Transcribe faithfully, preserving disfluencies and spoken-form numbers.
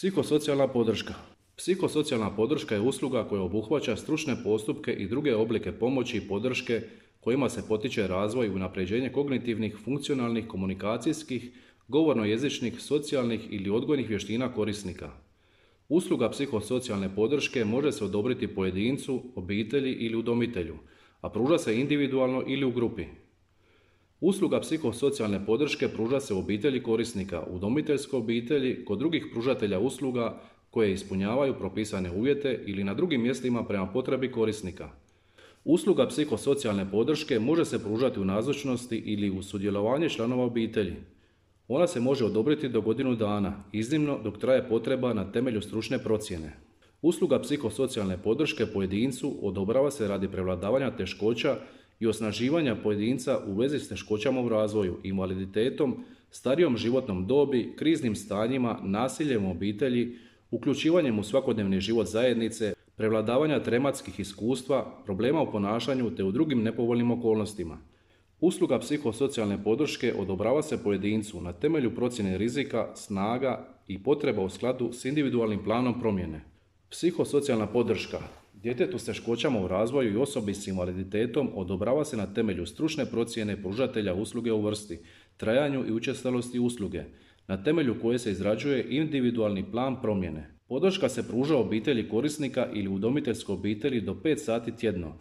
Psihosocijalna podrška. Psihosocijalna podrška je usluga koja obuhvaća stručne postupke i druge oblike pomoći i podrške kojima se potiče razvoj i unapređenje kognitivnih, funkcionalnih, komunikacijskih, govorno-jezičnih, socijalnih ili odgojnih vještina korisnika. Usluga psihosocijalne podrške može se odobriti pojedincu, obitelji ili udomitelju, a pruža se individualno ili u grupi. Usluga psihosocijalne podrške pruža se u obitelji korisnika, udomiteljskoj obitelji, kod drugih pružatelja usluga koje ispunjavaju propisane uvjete ili na drugim mjestima prema potrebi korisnika. Usluga psihosocijalne podrške može se pružati u nazočnosti ili uz sudjelovanje članova obitelji. Ona se može odobriti do godinu dana, iznimno dok traje potreba na temelju stručne procjene. Usluga psihosocijalne podrške pojedincu odobrava se radi prevladavanja teškoća i osnaživanja pojedinca u vezi s teškoćama u razvoju, invaliditetom, starijom životnom dobi, kriznim stanjima, nasiljem u obitelji, uključivanjem u svakodnevni život zajednice, prevladavanja traumatskih iskustva, problema u ponašanju te u drugim nepovoljnim okolnostima. Usluga psihosocijalne podrške odobrava se pojedincu na temelju procjene rizika, snaga i potreba u skladu s individualnim planom promjene. Psihosocijalna podrška djetetu s teškoćama u razvoju i osobi s invaliditetom odobrava se na temelju stručne procjene pružatelja usluge u vrsti, trajanju i učestalosti usluge, na temelju koje se izrađuje individualni plan promjene. Podrška se pruža obitelji korisnika ili udomiteljskoj obitelji do pet sati tjedno,